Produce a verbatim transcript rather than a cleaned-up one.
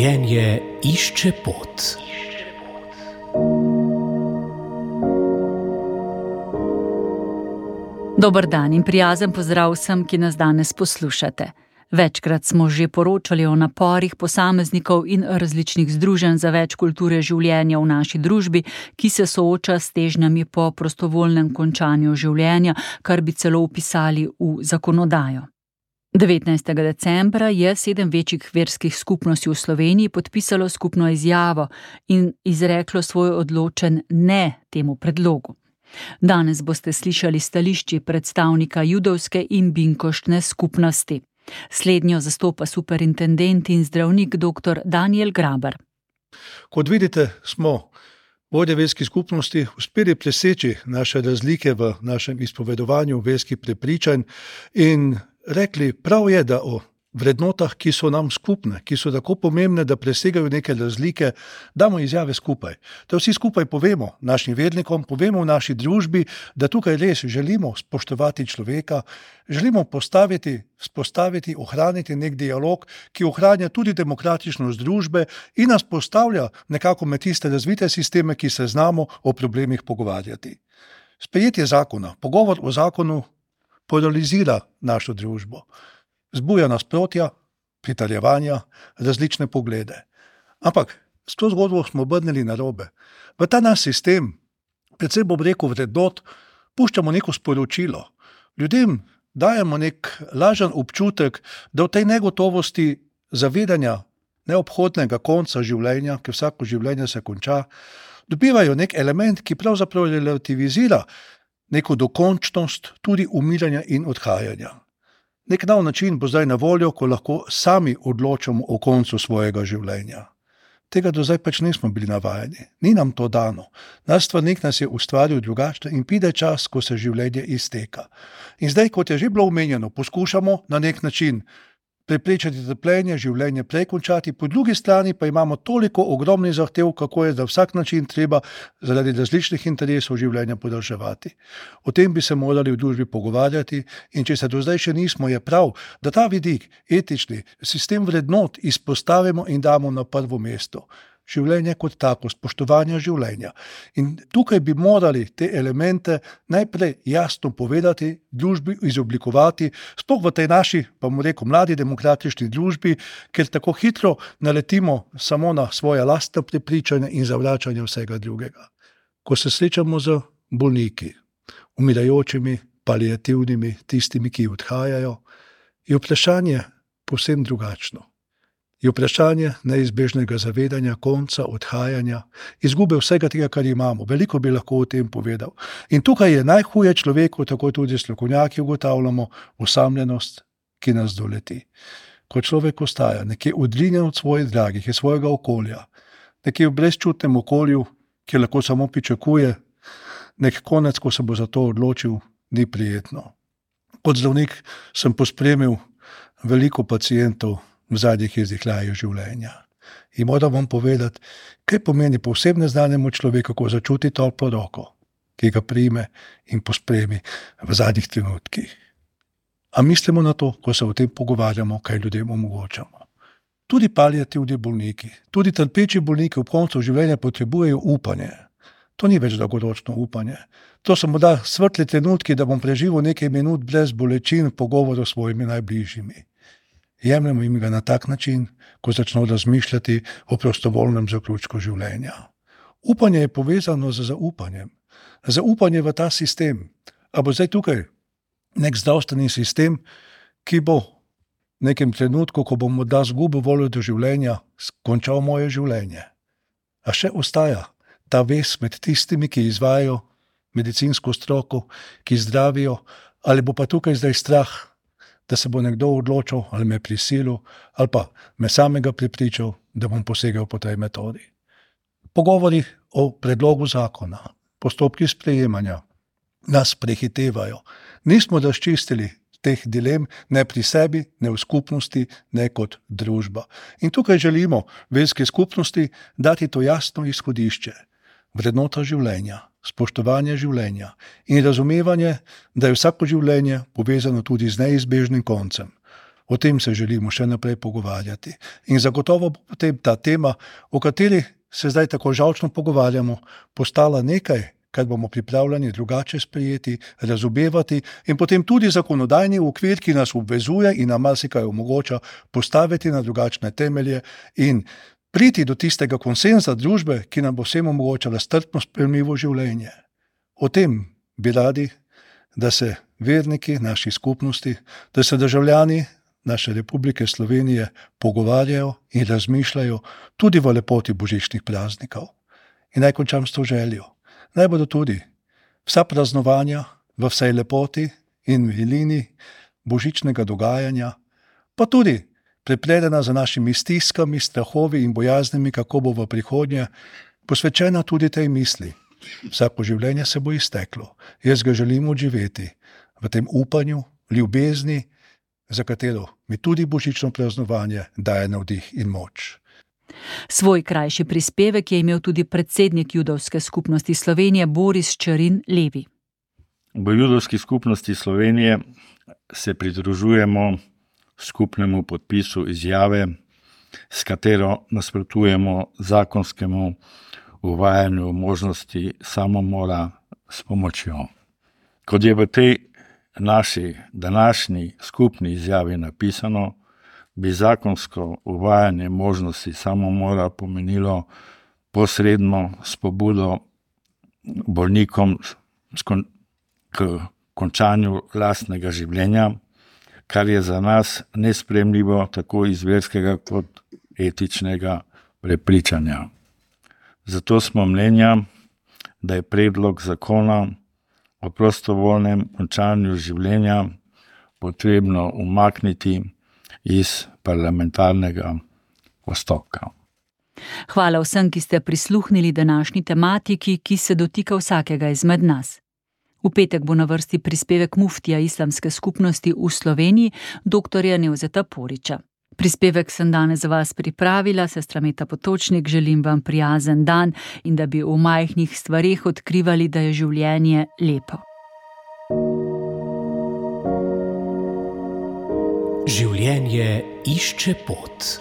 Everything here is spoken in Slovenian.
Življenje išče pot. Dober dan in prijazen pozdrav vsem, ki nas danes poslušate. Večkrat smo že poročali o naporih posameznikov in različnih združenj za več kulture življenja v naši družbi, ki se sooča s težnjami po prostovoljnem končanju življenja, kar bi celo vpisali v zakonodajo. devetnajstega decembra je sedem večjih verskih skupnosti v Sloveniji podpisalo skupno izjavo in izreklo svoj odločen ne temu predlogu. Danes boste slišali stališči predstavnika judovske in binkoštne skupnosti. Slednjo zastopa superintendent in zdravnik dr. Daniel Graber. Kot vidite, smo vodje verskih skupnosti uspeli preseči naše razlike v našem izpovedovanju verskih prepričanj in rekli, prav je, da o vrednotah, ki so nam skupne, ki so tako pomembne, da presegajo neke razlike, damo izjave skupaj. Da vsi skupaj povemo našim vernikom, povemo v naši družbi, da tukaj res želimo spoštovati človeka, želimo postaviti, spostaviti, ohraniti nek dialog, ki ohranja tudi demokratičnost družbe in nas postavlja nekako med tiste razvite sisteme, ki se znamo o problemih pogovarjati. Sprejetje zakona, pogovor o zakonu polarizira našo družbo. Zbuja nasprotja, pritaljevanja, različne poglede. Ampak s to zgodbo smo obrnili narobe. V ta naš sistem, predvsem bom rekel vrednot, puščamo neko sporočilo. Ljudem dajemo nek lažen občutek, da v tej negotovosti zavedanja neobhodnega konca življenja, ker vsako življenje se konča, dobivajo nek element, ki pravzaprav relativizira neko dokončnost tudi umiranja in odhajanja. Nek nov način bo zdaj na voljo, ko lahko sami odločamo o koncu svojega življenja. Tega do zdaj pač nismo bili navajeni. Ni nam to dano. Naš stvarnik nas je ustvaril drugače in pride čas, ko se življenje izteka. In zdaj, kot je že bilo omenjeno, poskušamo na nek način preprečiti trpljenje, življenje prej končati, po drugi strani pa imamo toliko ogromnih zahtev, kako je za vsak način treba zaradi različnih interesov življenja podaljševati. O tem bi se morali v družbi pogovarjati in če se do zdaj še nismo, je prav, da ta vidik, etični, sistem vrednot izpostavimo in damo na prvo mesto. Življenje kot tako, spoštovanje življenja. In tukaj bi morali te elemente najprej jasno povedati, družbi izoblikovati, sploh v tej naši, pa bomo rekel, mladi demokratični družbi, ker tako hitro naletimo samo na svoje lastne prepričanje in zavračanje vsega drugega. Ko se srečamo z bolniki, umirajočimi, paliativnimi, tistimi, ki odhajajo, je vprašanje povsem drugačno. Je vprašanje neizbežnega zavedanja, konca, odhajanja, izgube vsega tega, kar imamo. Veliko bi lahko o tem povedal. In tukaj je najhuje človeku, tako tudi strokovnjaki ugotavljamo, osamljenost, ki nas doleti. Ko človek ostaja nekje odrinjen od svojih dragih, iz svojega okolja, nekje v brezčutnem okolju, ki lahko samo pričakuje nek konec, ko se bo za to odločil, ni prijetno. Kot zdravnik sem pospremil veliko pacientov v zadnjih izdihljaju življenja. In moram vam povedati, kaj pomeni povsem neznanemu človeku, ko začuti toplo roko, ki ga prime in pospremi v zadnjih trenutkih. A mislimo na to, ko se o tem pogovarjamo, kaj ljudem omogočamo. Tudi paliativni bolniki, tudi trpeči bolniki v koncu življenja potrebujejo upanje. To ni več dolgoročno upanje. To so morda svetli trenutki, da bom preživel nekaj minut brez bolečin v pogovoru s svojimi najbližjimi. Jemljamo jim ga na tak način, ko začno razmišljati o prostovoljnem zaključku življenja. Upanje je povezano z zaupanjem. Zaupanje v ta sistem. A bo zdaj tukaj nek zdravstveni sistem, ki bo v nekem trenutku, ko bom morda zgubil voljo do življenja, končal moje življenje. A še ostaja ta vez med tistimi, ki izvajajo medicinsko stroko, ki zdravijo, ali bo pa tukaj zdaj strah, da se bo nekdo odločil ali me prisilil ali pa me samega prepričal, da bom posegel po tej metodi. Pogovori o predlogu zakona, postopki sprejemanja nas prehitevajo. Nismo razčistili teh dilem ne pri sebi, ne v skupnosti, ne kot družba. In tukaj želimo verski skupnosti dati to jasno izhodišče. Vrednota življenja, spoštovanje življenja in razumevanje, da je vsako življenje povezano tudi z neizbežnim koncem. O tem se želimo še naprej pogovarjati. In zagotovo bo potem ta tema, o kateri se zdaj tako žalčno pogovarjamo, postala nekaj, kar bomo pripravljeni drugače sprejeti, razumevati in potem tudi zakonodajni okvir, ki nas obvezuje in nam marsikaj omogoča postaviti na drugačne temelje in priti do tistega konsenza družbe, ki nam bo vsem omogočala strpno sprejemljivo življenje. O tem bi radi, da se verniki naših skupnosti, da se državljani naše Republike Slovenije pogovarjajo in razmišljajo tudi v lepoti božičnih praznikov. In naj končam s to željo. Naj bodo tudi vsa praznovanja v vsej lepoti in milini božičnega dogajanja, pa tudi prepredena za našimi stiskami, strahovi in bojaznimi, kako bo v prihodnje, posvečena tudi tej misli. Vsako življenje se bo izteklo. Jaz ga želim odživeti v tem upanju, ljubezni, za katero mi tudi božično praznovanje daje navdih in moč. Svoj krajši prispevek je imel tudi predsednik Judovske skupnosti Slovenije Boris Čerin Levi. V Judovski skupnosti Slovenije se pridružujemo skupnemu podpisu izjave, s katero nasprotujemo zakonskemu uvajanju možnosti samomora s pomočjo. Kot je v tej naši današnji skupni izjavi napisano, bi zakonsko uvajanje možnosti samomora pomenilo posredno spodbudo bolnikom k končanju lastnega življenja, kar je za nas nesprejemljivo tako iz verskega kot etičnega prepričanja. Zato smo mnenja, da je predlog zakona o prostovoljnem končanju življenja potrebno umakniti iz parlamentarnega postopka. Hvala vsem, ki ste prisluhnili današnji tematiki, ki se dotika vsakega izmed nas. V petek bo na vrsti prispevek muftija islamske skupnosti v Sloveniji, doktorja Nevzeta Poriča. Prispevek sem danes za vas pripravila, sestra Meta Potočnik, želim vam prijazen dan in da bi v majhnih stvareh odkrivali, da je življenje lepo. Življenje išče pot.